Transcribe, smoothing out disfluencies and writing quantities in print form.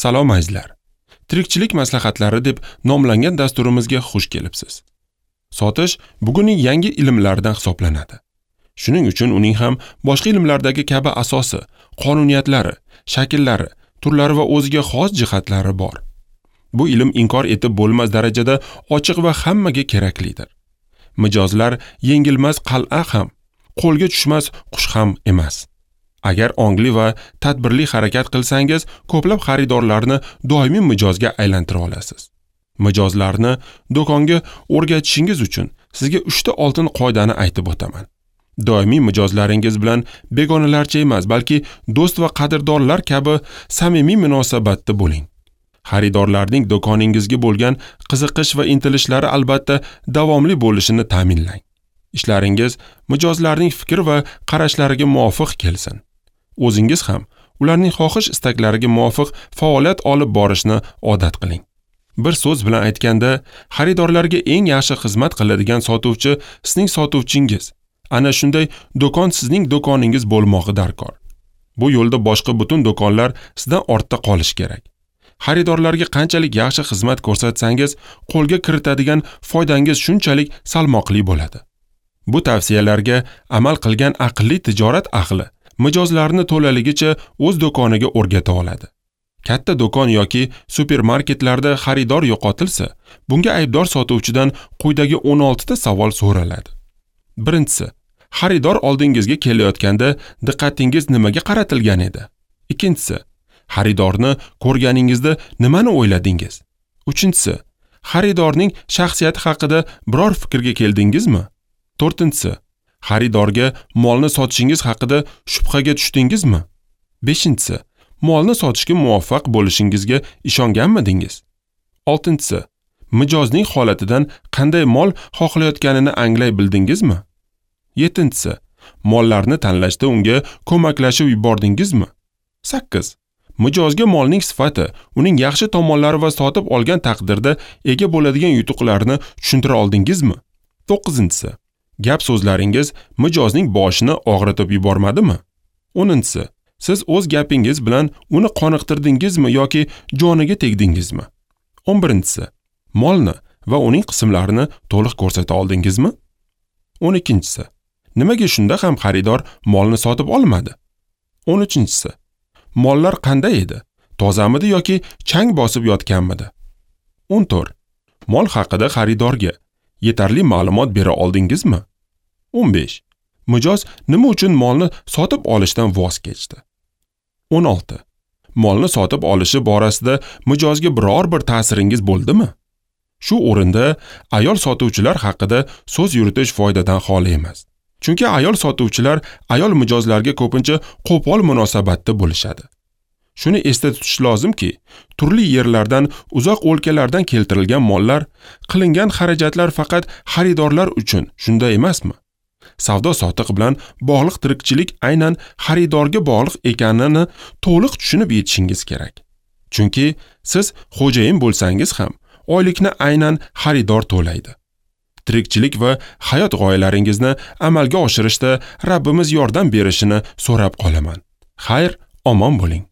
Salom azizlar. Tirikchilik maslahatlari deb nomlangan dasturimizga xush kelibsiz. Sotish bugunning yangi ilmlaridan hisoblanadi. Shuning uchun uning ham boshqa ilmlardagi kabi asosi, qonuniyatlari, shakllari, turlari va o'ziga xos jihatlari bor. Bu ilm inkor etib bo'lmas darajada ochiq va hammaga keraklidir. Mijozlar yengilmas qal'a ham, qo'lga tushmas qush ham emas. Agar ongli va tadbirli harakat qilsangiz, ko'plab xaridorlarni doimiy mijozga aylantira olasiz. Mijozlarni do'konga o'rgatishingiz uchun sizga 3 ta oltin qoidani aytib o'taman. Doimiy mijozlaringiz bilan begonalarcha emas, balki do'st va qadrdonlar kabi samimiy munosabatda bo'ling. Xaridorlarning do'koningizga bo'lgan qiziqish va intilishlari albatta davomli bo'lishini ta'minlang. Ishlaringiz mijozlarning fikr va qarashlariga muvofiq kelsin. O'zingiz ham ularning xohish istaklariga muvofiq faoliyat olib borishni odat qiling. Bir so'z bilan aytganda, xaridorlarga eng yaxshi xizmat qiladigan sotuvchi sizning sotuvchingiz. Ana shunday do'kon sizning do'koningiz bo'lmog'i darkor. Bu yo'lda boshqa butun do'konlar sizdan ortda qolishi kerak. Xaridorlarga qanchalik yaxshi xizmat ko'rsatsangiz, qo'lga kiritadigan foydangiz shunchalik salmoqli bo'ladi. Bu tavsiyalarga amal qilgan aqlli tijorat ahli mijozlarni to'laligicha o'z do'koniga o'rgata oladi. Katta do'kon yoki supermarketlarda xaridor yo'qotilsa, bunga aybdor sotuvchidan quyidagi 16 ta savol so'raladi. Birinchisi, xaridor oldingizga kelayotganda diqqatingiz nimaga qaratilgan edi? Ikkinchisi, xaridorni ko'rganingizda nimani o'yladingiz? Uchinchisi, xaridorning shaxsiyati haqida biror fikrga keldingizmi? To'rtinchisi, xaridorga molni sotishingiz haqida shubhaga tushdingizmi? Beshinchisi, molni sotishga muvaffaq bo'lishingizga ishonganmidingiz? Oltinchisi, mijozning holatidan qanday mol xohlayotganini anglay bildingizmi? Yettinchisi, mollarni tanlashda unga ko'maklashib yubordingizmi? 8. Mijozga molning sifati, uning yaxshi tomonlari va sotib olgan taqdirda ega bo'ladigan yutuqlarni tushuntira oldingizmi? 9. Gap so'zlaringiz mijozning boshini og'ritib yubormadimi? 10. Siz o'z gapingiz bilan uni qoniqtirdingizmi yoki joniga tegdingizmi? 11. Molni va uning qismlarini to'liq ko'rsata oldingizmi? 12. Nimaga shunda ham xaridor molni sotib olmadi? 13. Mollar qanday edi? Tozamidi yoki chang bosib yotganmidi? 14. Mol haqida xaridorga yetarli ma'lumot bera oldingizmi? 15. Mijoz nima uchun molni sotib olishdan voz kechdi? 16. Molni sotib olishi borasida mijozga biror bir ta'siringiz bo'ldimi? Shu o'rinda ayol sotuvchilar haqida so'z yuritish foydadan xoli emas. Chunki ayol sotuvchilar ayol mijozlarga ko'pincha qo'pol munosabatda bo'lishadi. Shuni esda tutish lozimki, turli yerlardan, uzoq o'lkalardan keltirilgan mollar, qilingan xarajatlar faqat xaridorlar uchun, shunday emasmi? Savdo sotiq bilan bog'liq tirikchilik aynan xaridorga bog'liq ekanini to'liq tushunib yetishingiz kerak. Chunki siz xo'jayin bo'lsangiz ham, oylikni aynan xaridor to'laydi. Tirikchilik va hayot g'oyalaringizni amalga oshirishda Rabbimiz yordam berishini so'rab qolaman. Xayr, omon bo'ling.